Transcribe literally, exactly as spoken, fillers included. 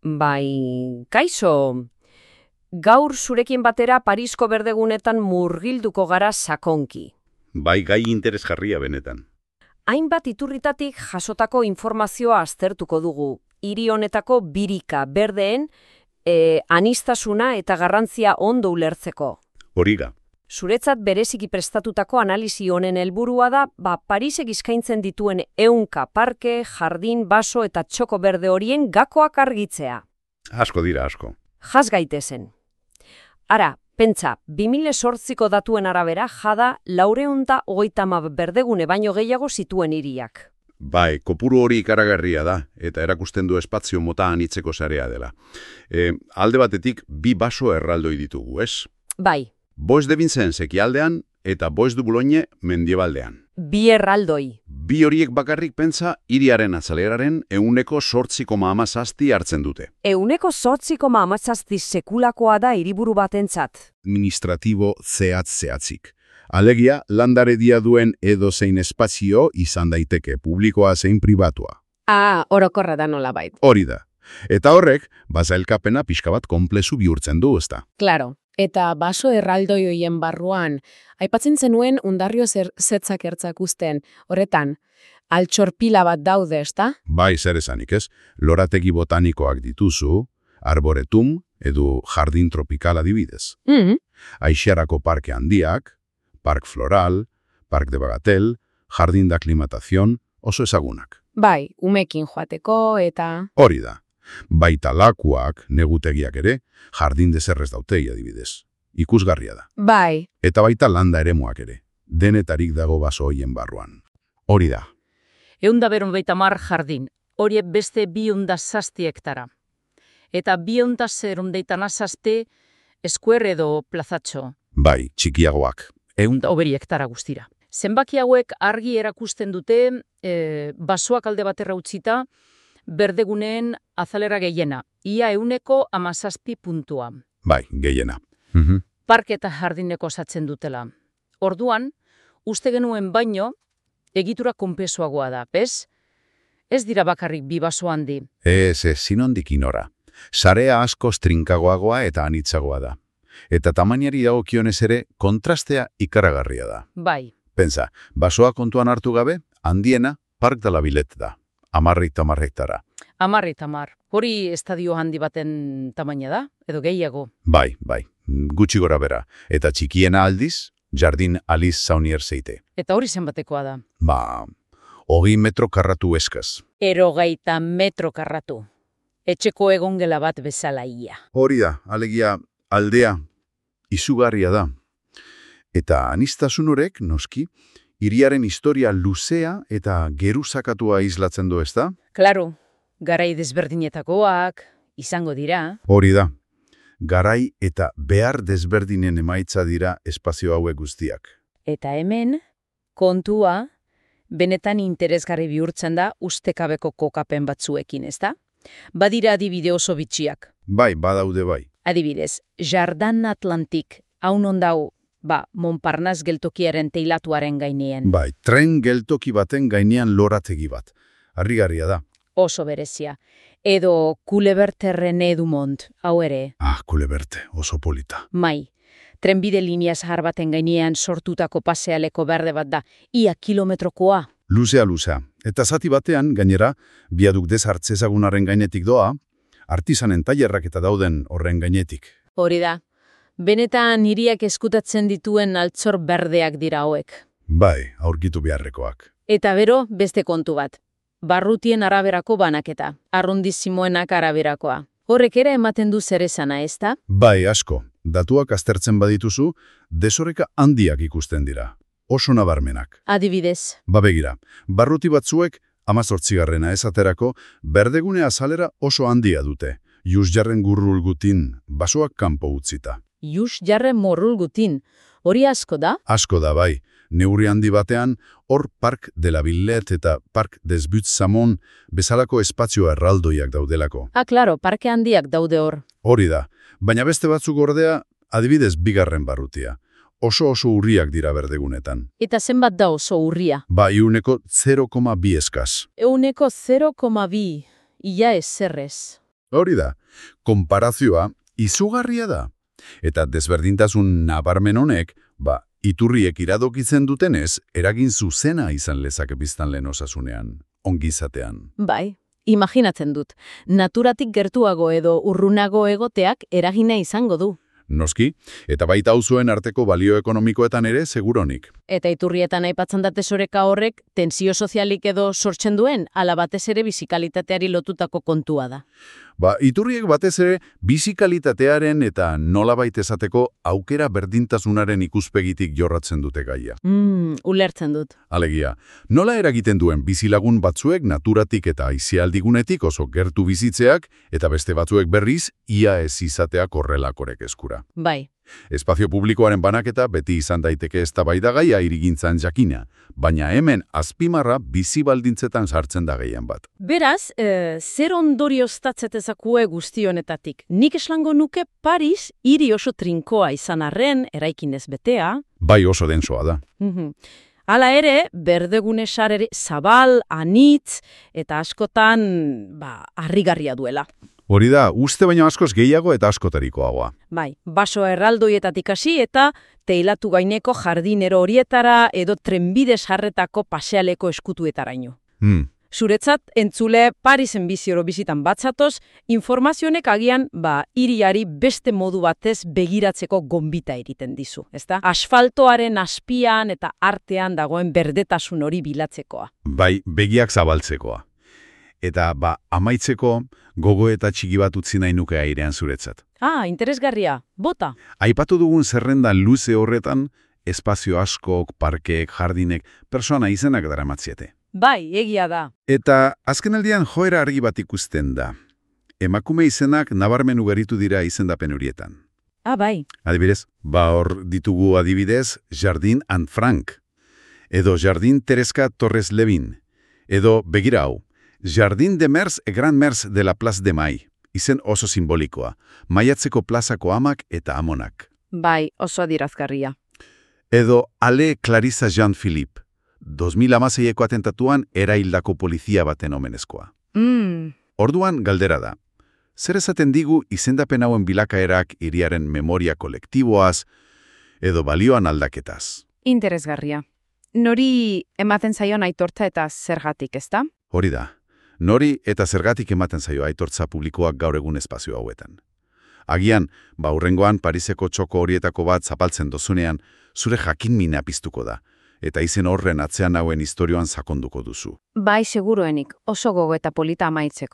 Bai, kaixo, gaur zurekin batera Parisko berdegunetan murgilduko gara sakonki. Bai, gai interesgarria benetan. Hainbat iturritatik jasotako informazioa aztertuko dugu, hiri honetako birika berdeen e, anistasuna eta garrantzia ondo ulertzeko. Horiga. Zuretzat bereziki prestatutako analisi honen helburua da, ba, Parisek eskaintzen dituen ehunka parke, jardin, baso eta txoko berde horien gakoak argitzea. Asko dira, asko. Jas gaitezen. Ara, pentsa, bi mila zortziko datuen arabera jada laurehun eta hogeita hamar berdegune baino gehiago zituen hiriak. Bai, kopuru hori ikaragarria da, eta erakusten du espazio mota anitzeko sarea dela. E, alde batetik, bi baso erraldoi ditugu, ez? Bai. Bois de Vincennes ekialdean eta Bois du Boulogne mendiebaldean. Bi erraldoi. Bi horiek bakarrik pentsa hiriaren azaleraren ehuneko zortzi koma hamazazpi hartzen dute. Ehuneko zortzi koma hamazazpi sekulakoa da hiriburu batentzat. Administratibo zehatz-zehatzik. Alegia, landaredia duen edozein espazio izan daiteke, publikoa zein pribatua. Ah, orokorra da nolabait. Hori da. Eta horrek, bazailkapena pixka bat konplezu bihurtzen du, ezta. Claro. Eta baso erraldoi hoien barruan, aipatzen zenuen undarrio zer zetzak ertzak uzten, horretan, altxorpila bat daude, ezta? Bai, zer esanik ez, lorategi botanikoak dituzu, arboretum edo jardin tropikal adibidez. Mm. Aixarako parke handiak, park floral, park de bagatel, jardin de aclimatación, oso ezagunak. Bai, umekin joateko eta... Hori da. Baita lakuak, negutegiak ere, jardin dezerrez dautei adibidez. Ikusgarria da. Bai. Eta baita landa eremuak ere, denetarik dago baso hoien barruan. Hori da. Eunda beron baita mar jardin, horiek beste biunda zazti hektara. Eta biunda zerun deitana zazte eskuer edo plazatxo. Bai, txikiagoak. Eunda oberi hektara guztira. Zenbaki hauek argi erakusten dute, e, basoak alde baterra utzita, berdeguneen azalera gehiena, ia euneko hamazazpi puntua. Bai, gehiena. Mhm. Parke eta jardineko osatzen dutela. Orduan, uste genuen baino, egitura konpesuagoa da, bez? Ez dira bakarrik bi baso handi. Ez, ez, sinondik inora. Sarea asko trinkagoagoa eta anitzagoa da. Eta tamainari dagokionez ere, kontrastea ikaragarria da. Bai. Pensa, basoa kontuan hartu gabe, handiena Park de la Villette da. Amarri tamarrektara. Amarri tamar. Hori estadio handi baten tamaina da, edo gehiago. Bai, bai, gutxi gora bera. Eta txikiena aldiz, Jardin Alice Saunier zeite. Eta hori zenbatekoa da. Ba, hogei metro karratu eskaz. Erogeita metro karratu. Etxeko egongela bat bezala ia. Hori da, alegia aldea, izugarria da. Eta anistasun horek, noski, hiriaren historia luzea eta geruzakatua islatzen du, ezta? Claro, garai desberdinetakoak, izango dira. Hori da, garai eta behar desberdinen emaitza dira espazio hauek guztiak. Eta hemen, kontua, benetan interesgarri bihurtzen da ustekabeko kokapen batzuekin, ezta? Badira adibide oso bitxiak. Bai, badaude bai. Adibidez, Jardin Atlantik, haun ondau, ba, Montparnasse geltokiaren teilatuaren gainean. Bai, tren geltoki baten gainean lorategi bat. Harrigarria da. Oso berezia. Edo Culeberte René Dumont, hau ere. Ah, Culeberte, oso polita. Mai, trenbide linea zahar baten gainean sortutako pasealeko berde bat da, ia kilometrokoa. Luzea, luzea. Eta zati batean, gainera, biaduk deshartz ezagunaren gainetik doa, artisanen tailerrak eta dauden horren gainetik. Hori da. Benetan hiriak eskutatzen dituen altzor berdeak dira hauek. Bai, aurkitu beharrekoak. Eta bero, beste kontu bat. Barrutien araberako banaketa, arrondizimoenak araberakoa. Horrek ere ematen du zer esana, ezta? Bai, asko. Datuak aztertzen badituzu, desoreka handiak ikusten dira. Oso nabarmenak. Adibidez. Ba begira, barruti batzuek, hamazortzigarrena esaterako, berdegune azalera oso handia dute. Jus jarren gurrulgutin, basoak kanpo utzita. Jus jarren morrulgutin, hori asko da? Asko da bai, neurri handi batean, hor Park de la Villette eta Park des Buttes-Samon bezalako espazio erraldoiak daudelako. Ah, klaro, parke handiak daude hor. Hori da, baina beste batzuk ordea, adibidez bigarren barrutia. Oso oso urriak dira berdegunetan. Eta zenbat da oso urria? Ba, iuneko zero koma bi eskaz. Euneko zero koma bi, ia ezerrez. Hori da, konparazioa izugarria da. Eta desberdintasun nabarmen honek, ba, iturriek iradokitzen dutenez, eragin zuzena izan lezake biztanleen osasunean, ongizatean. Bai, imaginatzen dut. Naturatik gertuago edo urrunago egoteak eragina izango du. Noski, eta baita auzuen arteko balio ekonomikoetan ere seguronik. Eta iturrietan aipatzen da tesoreka horrek tensio sozialik edo sortzen duen, ala batez ere bizikalitateari lotutako kontua da. Ba, iturriek batez ere bizikalitatearen eta nolabait esateko aukera berdintasunaren ikuspegitik jorratzen dute gaia. Mm, ulertzen dut. Alegia, nola eragiten duen bizilagun batzuek naturatik eta aisialdigunetik oso gertu bizitzeak, eta beste batzuek berriz ia ez izateak horrelakorek eskura. Bai. Espazio publikoaren banaketa beti izan daiteke eztabaidagaia hirigintzan jakina, baina hemen azpimarra bizi baldintzetan sartzen da gehien bat. Beraz, e, zer ondorioztatzetezakue guzti honetatik? Nik eslango nuke Paris hiri oso trinkoa izan arren, eraikinez betea. Bai oso densoa da. Mhm. Hala ere, berdegune sare zabal, anitz, eta askotan, ba, harrigarria duela. Hori da, uste baino askoz gehiago eta askotarikoagoa. Bai, baso erraldoietatik hasi eta teilatu gaineko jardinero horietara edo trenbide sarretako pasealeko eskutuetaraino. Hmm. Zuretzat, entzule Parisen bizioro bizitan batzatoz, informazionek agian, ba, hiriari beste modu batez begiratzeko gonbita egiten dizu, ezta? Asfaltoaren azpian eta artean dagoen berdetasun hori bilatzekoa. Bai, begiak zabaltzekoa. Eta, ba, amaitzeko gogo eta txiki bat utzi nahi nuke airean zuretzat. Ah, interesgarria. Bota. Aipatu dugun zerrenda luze horretan, espazio askok, parkeek, jardinek, persona izenak daramatziete. Bai, egia da. Eta azkenaldian joera argi bat ikusten da. Emakume izenak nabarmen ugaritu dira izendapen horietan. Ah, bai. Adibidez, ba hor ditugu adibidez Jardin Anne Frank, edo Jardin Tereska Torres Levin, edo begira hau, Jardin de Mers e Grand Mers de la Place de Mai, izen oso simbolikoa, maiatzeko plazako amak eta amonak. Bai, oso adirazgarria. Edo Ale Clarissa Jean-Philippe, dos mil hamaseieko atentatuan eraildako polizia baten omenezkoa. Mm. Orduan galdera da, zer esaten digu izendapen hauen bilakaerak hiriaren memoria kolektiboaz edo balioan aldaketaz? Interesgarria. Nori ematen zaion aitortza eta zergatik, ezta? Hori da, nori eta zergatik ematen zaio aitortza publikoak gaur egun espazio hauetan. Agian, ba hurrengoan Pariseko txoko horietako bat zapaltzen dozunean, zure jakinmina piztuko da, eta izen horren atzean hauen istorioan sakonduko duzu. Bai, seguruenik, oso gogo eta polita amaitzeko.